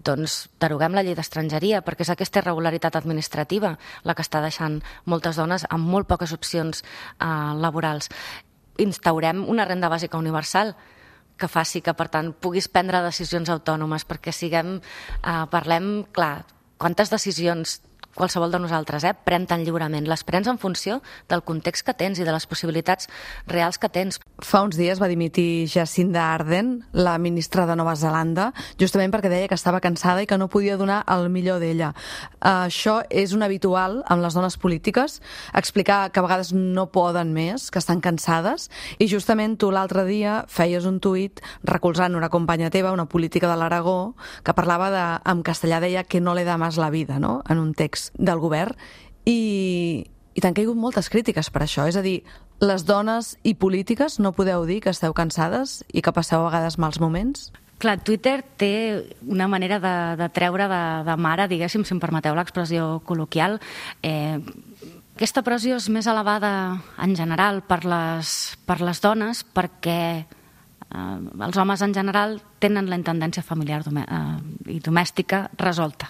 Doncs deroguem la llei d'estrangeria, perquè és aquesta irregularitat administrativa la que està deixant moltes dones amb molt poques opcions laborals. Instaurem una renda bàsica universal que faci que, per tant, puguis prendre decisions autònomes, perquè parlem, clar, quantes decisions qualsevol de nosaltres pren tan lliurement. Les prens en funció del context que tens i de les possibilitats reals que tens. Fa uns dies va dimitir Jacinda Ardern, la ministra de Nova Zelanda, justament perquè deia que estava cansada i que no podia donar el millor d'ella. Això és un habitual amb les dones polítiques, explicar que a vegades no poden més, que estan cansades, i justament tu l'altre dia feies un tuit recolzant una companya teva, una política de l'Aragó, que parlava en castellà, deia que no le da más la vida, no?, en un text del govern, i t'han caigut moltes crítiques per això. És a dir, les dones i polítiques no podeu dir que esteu cansades i que passeu a vegades mals moments? Clar, Twitter té una manera de treure de mare, diguéssim, si em permeteu l'expressió col·loquial. Aquesta pressió és més elevada en general per les dones perquè els homes en general tenen la intendència familiar i domèstica resolta.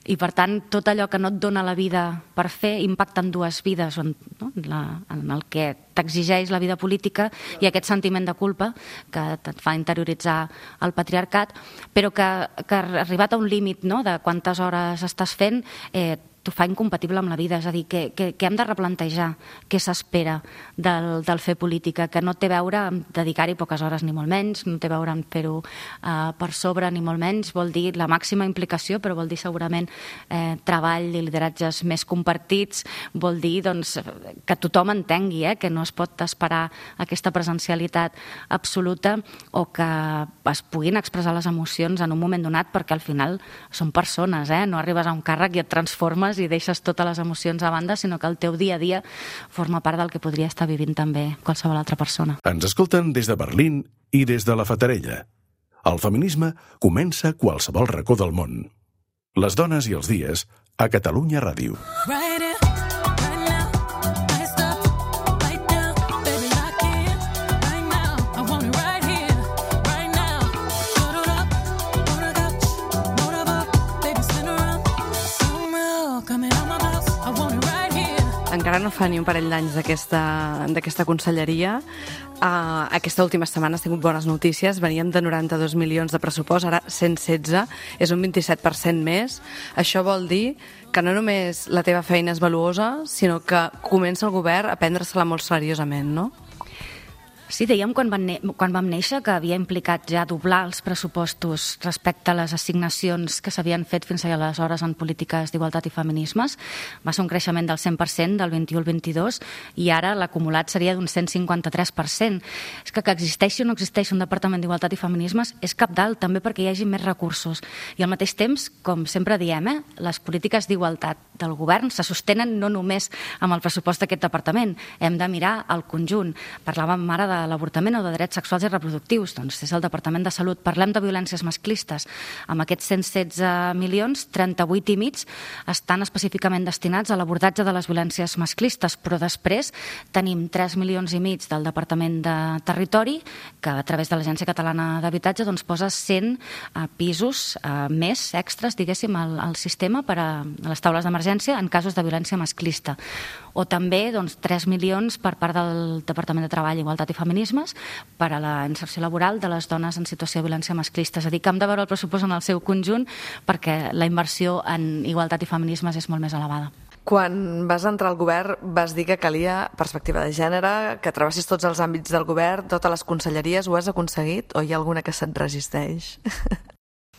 I, per tant, tot allò que no et dona la vida per fer impacta en dues vides, en el que t'exigeix la vida política i aquest sentiment de culpa que et fa interioritzar el patriarcat, però que arribat a un límit de quantes hores estàs fent, t'ho fa incompatible amb la vida. És a dir, que hem de replantejar què s'espera del fer política, que no té a veure amb dedicar-hi poques hores ni molt menys, no té a veure amb fer-ho per sobre ni molt menys, vol dir la màxima implicació, però vol dir segurament treball i lideratges més compartits, vol dir que tothom entengui que no es pot esperar aquesta presencialitat absoluta o que es puguin expressar les emocions en un moment donat, perquè al final són persones, no arribes a un càrrec i et transformes i deixes totes les emocions a banda, sinó que el teu dia a dia forma part del que podria estar vivint també qualsevol altra persona. Ens escolten des de Berlín i des de la Fatarella. El feminisme comença a qualsevol racó del món. Les dones i els dies a Catalunya Ràdio. Encara no fa ni un parell d'anys d'aquesta conselleria. Aquesta última setmana has tingut bones notícies. Veníem de 92 milions de pressupost, ara 116, és un 27% més. Això vol dir que no només la teva feina és valuosa, sinó que comença el govern a prendre-se-la molt seriosament, no? Sí, dèiem quan vam néixer que havia implicat ja doblar els pressupostos respecte a les assignacions que s'havien fet fins aleshores en polítiques d'igualtat i feminismes. Va ser un creixement del 100% del 21 al 22 i ara l'acumulat seria d'un 153%. És que existeixi o no existeixi un departament d'igualtat i feminismes és cabdal també perquè hi hagi més recursos. I al mateix temps, com sempre diem, les polítiques d'igualtat del govern se sostenen no només amb el pressupost d'aquest departament. Hem de mirar el conjunt. Parlàvem ara de l'avortament o de drets sexuals i reproductius, doncs és el Departament de Salut. Parlem de violències masclistes. Amb aquests 116 milions, 38 i mig estan específicament destinats a l'abordatge de les violències masclistes, però després tenim 3 milions i mig del Departament de Territori, que a través de l'Agència Catalana d'Habitatge posa 100 pisos més extras, diguéssim, al sistema per a les taules d'emergència en casos de violència masclista. O també 3 milions per part del Departament de Treball, Igualtat i Feminismes per a la inserció laboral de les dones en situació de violència masclista. És a dir, que hem de veure el pressupost en el seu conjunt perquè la inversió en igualtat i feminismes és molt més elevada. Quan vas entrar al govern vas dir que calia perspectiva de gènere, que travessis tots els àmbits del govern, totes les conselleries. Ho has aconseguit o hi ha alguna que se't resisteix?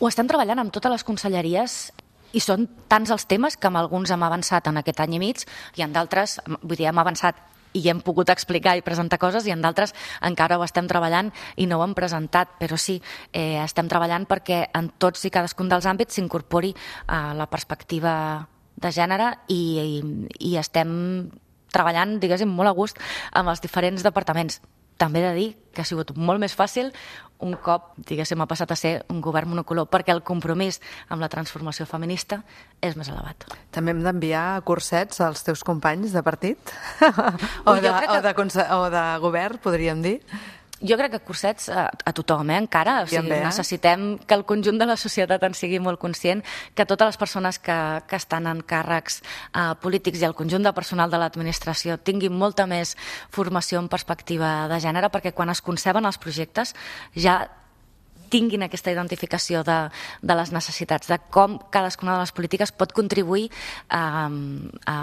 Ho estem treballant amb totes les conselleries i són tants els temes que amb alguns hem avançat en aquest any i mig i en d'altres, vull dir, hem avançat i hem pogut explicar i presentar coses i en d'altres encara ho estem treballant i no ho hem presentat, però sí, estem treballant perquè en tots i cadascun dels àmbits s'incorpori la perspectiva de gènere i estem treballant, diguéssim, molt a gust amb els diferents departaments. També he de dir que ha sigut molt més fàcil un cop, diguéssim, ha passat a ser un govern monocolor, perquè el compromís amb la transformació feminista és més elevat. També hem d'enviar cursets als teus companys de partit? O de govern, podríem dir? Jo crec que cursets a tothom, encara. O sigui, necessitem que el conjunt de la societat en sigui molt conscient, que totes les persones que estan en càrrecs polítics i el conjunt de personal de l'administració tinguin molta més formació en perspectiva de gènere, perquè quan es conceben els projectes ja tinguin aquesta identificació de les necessitats, de com cadascuna de les polítiques pot contribuir a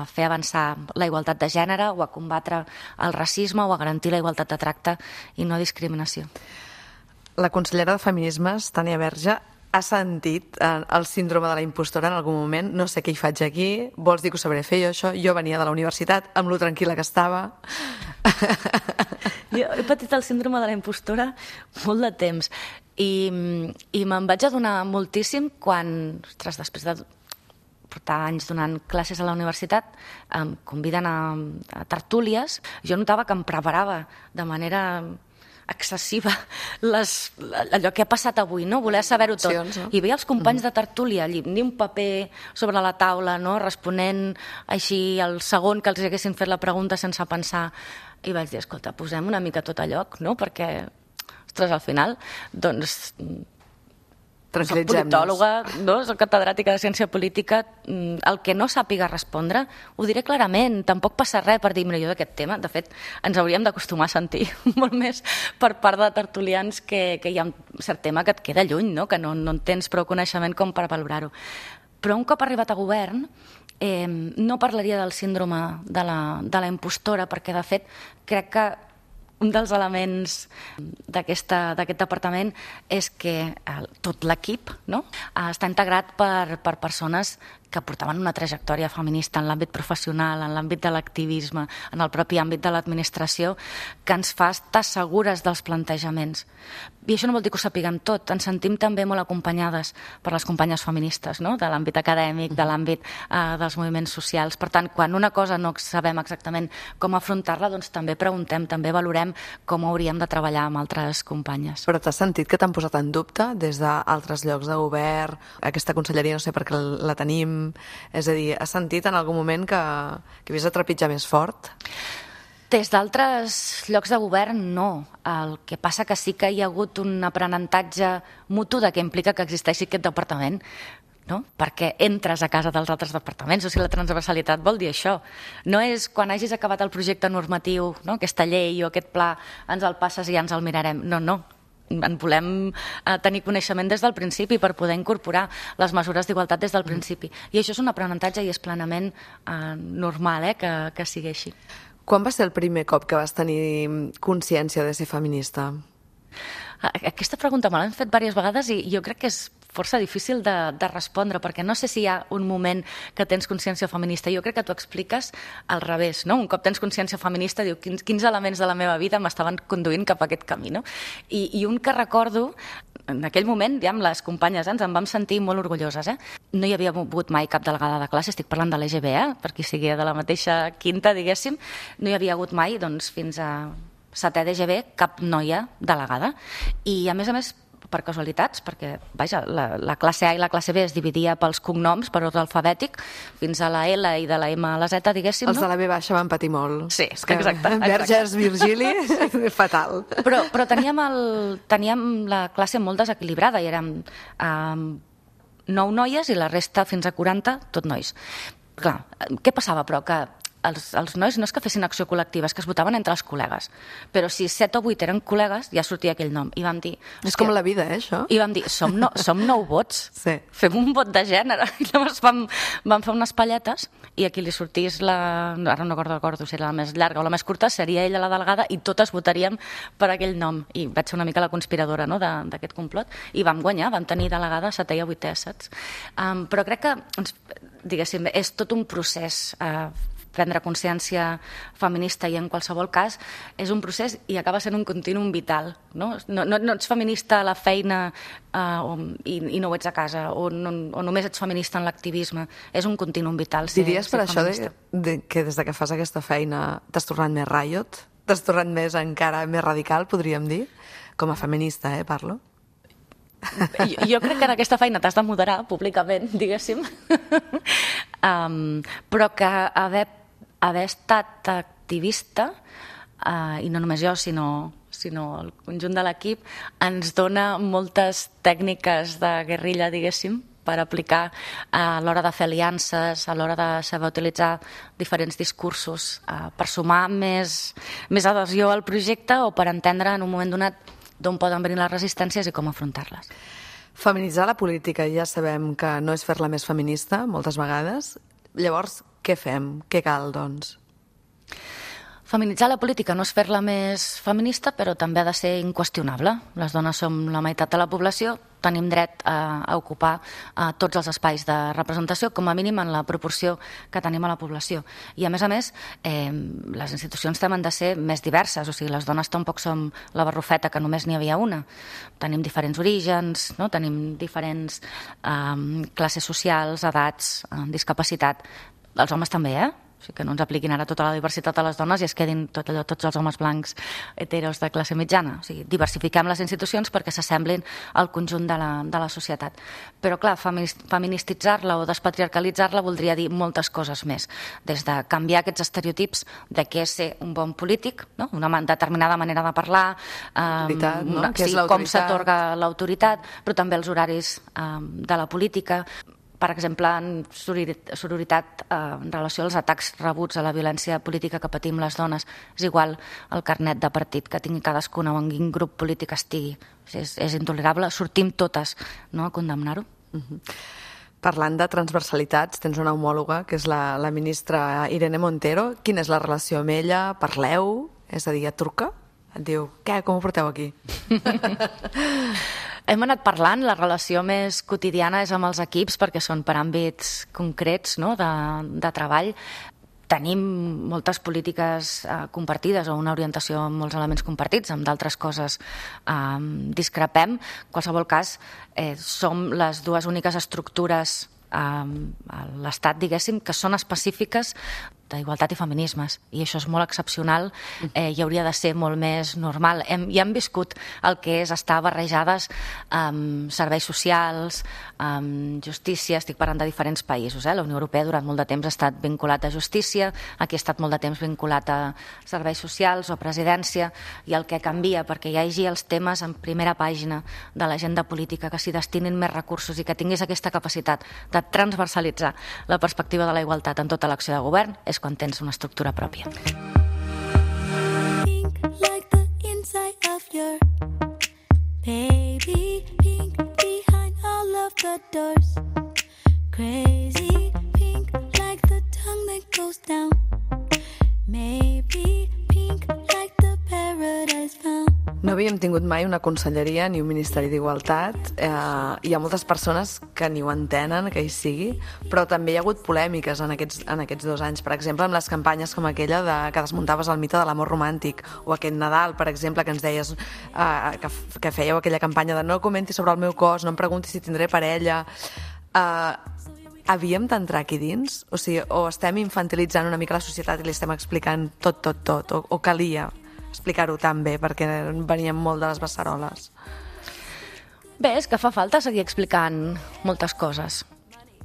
fer avançar la igualtat de gènere o a combatre el racisme o a garantir la igualtat de tracte i no discriminació. La consellera de Feminismes, Tània Verge, ha sentit el síndrome de la impostora en algun moment? No sé què hi faig aquí, vols dir que ho sabré fer jo, això? Jo venia de la universitat, amb lo tranquil·la que estava. Jo he patit el síndrome de la impostora molt de temps i me'n vaig adonar moltíssim quan, ostres, després de portar anys donant classes a la universitat, em conviden a tertúlies. Jo notava que em preparava de manera excessiva allò que ha passat avui, no? Voler saber-ho tot. I veia els companys de tertúlia ni un paper sobre la taula, no? Responent així al segon que els haguessin fet la pregunta sense pensar. I vaig dir, escolta, posem una mica tot a lloc, no? Perquè, ostres, al final, doncs, soc politòloga, no? Soc catedràtica de ciència política, el que no sàpiga respondre, ho diré clarament, tampoc passa res per dir, mira, jo d'aquest tema, de fet, ens hauríem d'acostumar a sentir molt més per part de tertulians que hi ha un cert tema que et queda lluny, no? Que no en tens prou coneixement com per valorar-ho. Però un cop arribat a govern, no parlaria del síndrome de la impostora, perquè, de fet, crec que un dels elements d'aquest departament és que tot l'equip, no? Està integrat per persones que portaven una trajectòria feminista en l'àmbit professional, en l'àmbit de l'activisme, en el propi àmbit de l'administració, que ens fa estar segures dels plantejaments. I això no vol dir que ho sapiguem tot, ens sentim també molt acompanyades per les companyes feministes, no? De l'àmbit acadèmic, de l'àmbit dels moviments socials. Per tant, quan una cosa no sabem exactament com afrontar-la, doncs també preguntem, també valorem com hauríem de treballar amb altres companyes. Però t'has sentit que t'han posat en dubte des d'altres llocs de govern, aquesta conselleria no sé per què la tenim, és a dir, has sentit en algun moment que havies de trepitjar més fort? Des d'altres llocs de govern, no. El que passa que sí que hi ha hagut un aprenentatge mutu de què implica que existeixi aquest departament, no? Perquè entres a casa dels altres departaments, o sigui, la transversalitat vol dir això. No és quan hagis acabat el projecte normatiu, no? Aquesta llei o aquest pla, ens el passes i ja ens el mirarem. No. En volem tenir coneixement des del principi per poder incorporar les mesures d'igualtat des del principi. I això és un aprenentatge i és plenament normal que sigui així. Quan va ser el primer cop que vas tenir consciència de ser feminista? Aquesta pregunta me l'han fet diverses vegades i jo crec que és força difícil de respondre, perquè no sé si hi ha un moment que tens consciència feminista. Jo crec que t'ho expliques al revés, no? Un cop tens consciència feminista, diu quins elements de la meva vida m'estaven conduint cap a aquest camí, no? I un que recordo, en aquell moment, diguem, les companyes ens en vam sentir molt orgulloses, No hi havia hagut mai cap delegada de classe, estic parlant de l'EGB, per qui sigui de la mateixa quinta, diguéssim, no hi havia hagut mai, doncs, fins a setè d'EGB, cap noia delegada. I, a més, per casualitats, perquè, vaja, la classe A i la classe B es dividia pels cognoms, per ordre alfabètic, fins a la L i de la M a la Z, diguéssim, no? Els de la B baixa van patir molt. Sí, exacte. Verges, Virgili, fatal. Però teníem la classe molt desequilibrada i érem 9 noies i la resta, fins a 40, tot nois. Clar, què passava, però? Que els nois no és que fessin acció col·lectiva, és que es votaven entre els col·legues. Però si 7 o 8 eren col·legues, ja sortia aquell nom. I vam dir... És com la vida, això? I vam dir, som 9 vots, sí. Fem un vot de gènere. I llavors vam fer unes palletes i a qui li sortís ara no recordo si era la més llarga o la més curta, seria ella la delegada i totes votaríem per aquell nom. I vaig ser una mica la conspiradora, no?, d'aquest complot. I vam guanyar, vam tenir delegada 7è i 8è, saps? Però crec que, diguéssim, és tot un procés prendre consciència feminista i en qualsevol cas és un procés i acaba sent un continuum vital, no? No ets feminista a la feina i no ho ets a casa o només ets feminista en l'activisme, és un continuum vital. Diries per això que des que fas aquesta feina t'has tornat més riot? T'has tornat encara més radical, podríem dir? Com a feminista, parlo? Jo crec que en aquesta feina t'has de moderar públicament, diguéssim, però que haver estat activista, i no només jo, sinó sinó el conjunt de l'equip, ens dona moltes tècniques de guerrilla, diguéssim, per aplicar a l'hora de fer aliances, a l'hora de saber utilitzar diferents discursos, per sumar més adhesió al projecte o per entendre en un moment donat d'on poden venir les resistències i com afrontar-les. Feminitzar la política ja sabem que no és fer-la més feminista, moltes vegades. Llavors, què fem? Què cal, doncs? Feminitzar la política no és fer-la més feminista, però també ha de ser inqüestionable. Les dones som la meitat de la població, tenim dret a ocupar tots els espais de representació, com a mínim en la proporció que tenim a la població. I a més, les institucions també han de ser més diverses, o sigui, les dones tampoc som la barrufeta que només n'hi havia una. Tenim diferents orígens, no? Tenim diferents classes socials, edats, discapacitat. Els homes també, O sigui, que no ens apliquin ara tota la diversitat a les dones i es quedin tots els homes blancs heteros de classe mitjana. O sigui, diversifiquem les institucions perquè s'assemblin al conjunt de la societat. Però, clar, feministitzar-la o despatriarcalitzar-la voldria dir moltes coses més. Des de canviar aquests estereotips de què és ser un bon polític, no? Una determinada manera de parlar, com s'atorga l'autoritat, però també els horaris de la política. Per exemple, en sororitat, en relació als atacs rebuts a la violència política que patim les dones, és igual el carnet de partit que tingui cadascuna o en quin grup polític estigui. És intolerable, sortim totes a condemnar-ho. Parlant de transversalitats, tens una homòloga, que és la ministra Irene Montero. Quina és la relació amb ella? Parleu? És a dir, et truca? Et diu, què, com ho porteu aquí? Hem anat parlant, la relació més quotidiana és amb els equips perquè són per àmbits concrets de treball. Tenim moltes polítiques compartides o una orientació amb molts elements compartits, amb d'altres coses discrepem. En qualsevol cas, som les dues úniques estructures a l'Estat, diguéssim, que són específiques d'igualtat i feminismes, i això és molt excepcional i hauria de ser molt més normal. Ja hem viscut el que és estar barrejades amb serveis socials, amb justícia, estic parlant de diferents països. La Unió Europea durant molt de temps ha estat vinculat a justícia, aquí ha estat molt de temps vinculat a serveis socials o presidència, i el que canvia perquè hi hagi els temes en primera pàgina de l'agenda política, que s'hi destinin més recursos i que tinguis aquesta capacitat de transversalitzar la perspectiva de la igualtat en tota l'acció de govern, és quan tens una estructura pròpia. Pink like the inside of your baby, pink behind all of the doors, crazy pink like the tongue that goes down, maybe pink like the paradise found. No havíem tingut mai una conselleria ni un ministeri d'igualtat. Hi ha moltes persones que ni ho entenen, que hi sigui, però també hi ha hagut polèmiques en aquests 2 anys. Per exemple, amb les campanyes com aquella que desmuntaves el mite de l'amor romàntic, o aquest Nadal, per exemple, que ens deies que fèieu aquella campanya de no comenti sobre el meu cos, no em pregunti si tindré parella. Havíem d'entrar aquí dins? O sigui, o estem infantilitzant una mica la societat i li estem explicant tot, o calia explicar-ho tan bé, perquè veníem molt de les beceroles. Bé, és que fa falta seguir explicant moltes coses.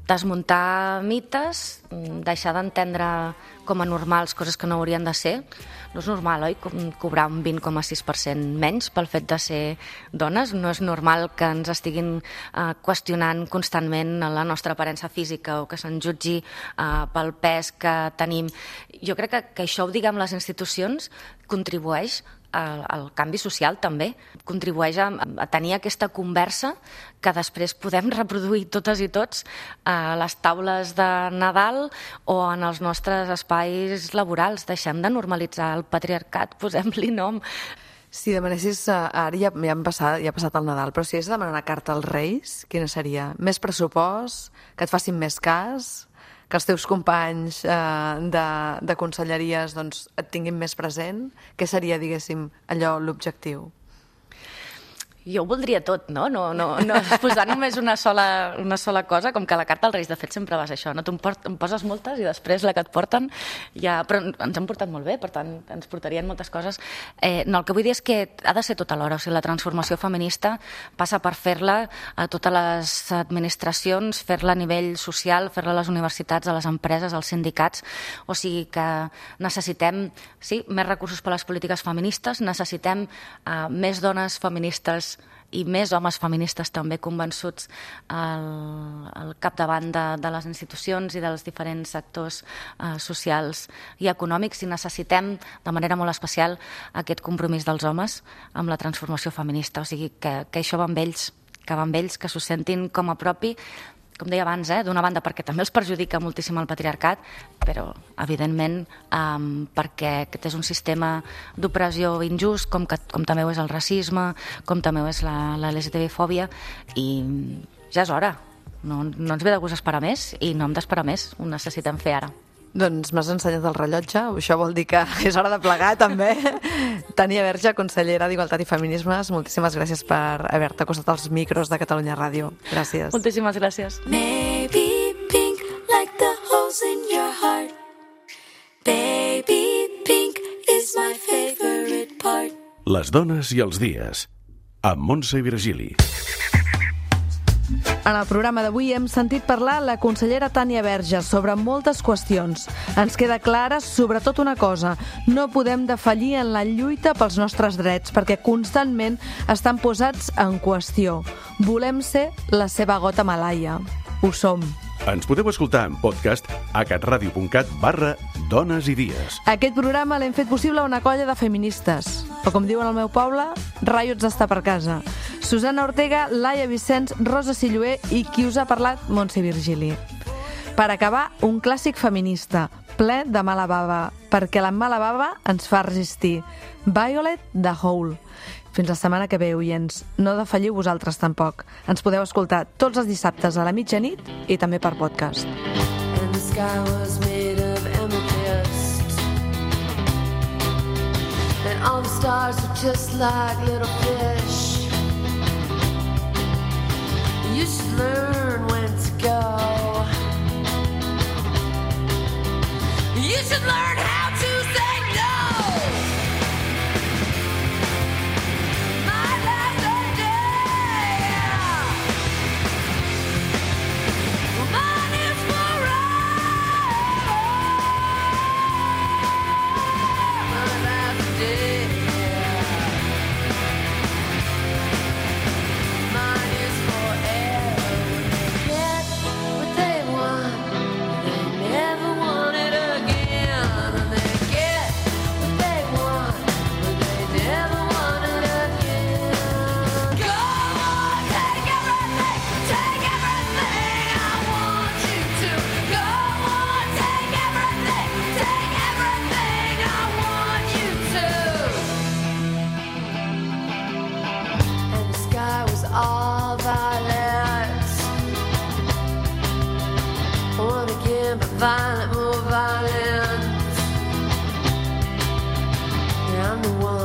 Desmuntar mites, deixar d'entendre com a normals coses que no haurien de ser. No és normal, oi?, cobrar un 20,6% menys pel fet de ser dones. No és normal que ens estiguin qüestionant constantment la nostra aparença física o que se'n jutgi pel pes que tenim. Jo crec que això ho diguem les institucions contribueix al canvi social també, contribueix a tenir aquesta conversa que després podem reproduir totes i tots a les taules de Nadal o en els nostres espais laborals. Deixem de normalitzar el patriarcat, posem-li nom. Si demanessis, ara ja ha passat el Nadal, però si hagués de demanar una carta als Reis, quina seria? Més pressupost? Que et facin més cas? Que els teus companys de conselleries et tinguin més present? Què seria, diguéssim, allò l'objectiu? Jo ho voldria tot, no posar només una sola cosa, com que la carta als Reis, de fet, sempre vas això, no? Tu em poses moltes i després la que et porten ja... Però ens han portat molt bé, per tant, ens portarien moltes coses. No, el que vull dir és que ha de ser tot alhora, o sigui, la transformació feminista passa per fer-la a totes les administracions, fer-la a nivell social, fer-la a les universitats, a les empreses, als sindicats, o sigui que necessitem, sí, més recursos per a les polítiques feministes, necessitem més dones feministes i més homes feministes també convençuts al capdavant de les institucions i dels diferents sectors socials i econòmics, i necessitem de manera molt especial aquest compromís dels homes amb la transformació feminista, o sigui que això va amb ells, que s'ho sentin com a propi, com deia abans, d'una banda perquè també els perjudica moltíssim el patriarcat, però evidentment perquè aquest és un sistema d'opressió injust, com també ho és el racisme, com també ho és la LGTB-fòbia, i ja és hora, no ens ve de gust esperar més i no hem d'esperar més, ho necessitem fer ara. Doncs m'has ensenyat el rellotge, això vol dir que és hora de plegar també. Tania Verge, consellera d'Igualtat i Feminismes, moltíssimes gràcies per haver-te acostat als micros de Catalunya Ràdio. Gràcies. Moltíssimes gràcies. Maybe pink like the holes in your heart. Baby, pink is my favorite part. Les dones i els dies, amb Montse i Virgili. En el programa d'avui hem sentit parlar la consellera Tania Verge sobre moltes qüestions. Ens queda clara sobretot una cosa: no podem defallir en la lluita pels nostres drets perquè constantment estan posats en qüestió. Volem ser la seva gota malaia. Ho som. Ens podeu escoltar en podcast a catradio.cat/dones i dies. Aquest programa l'hem fet possible una colla de feministes, o com diuen al meu poble, raiots d'estar per casa. Susana Ortega, Laia Vicenç, Rosa Silloé i qui us ha parlat, Montse Virgili. Per acabar, un clàssic feminista, ple de mala bava, perquè la mala bava ens fa resistir. Violet the Hole. Fins la setmana que ve, oients. No defalliu vosaltres tampoc. Ens podeu escoltar tots els dissabtes a la mitjanit i també per podcast. And the sky was made of amethyst, and all the stars were just like little fish. You should learn when to go. You should learn how to say no. My last day, mine is forever. My last day, mine is forever. Get what they want, they never want it again. And they get what they want, but they never want it again. Go on, take everything I want you to. Go on, take everything I want you to. And the sky was all violet. One again, but violent, more violent. Yeah, I'm the one.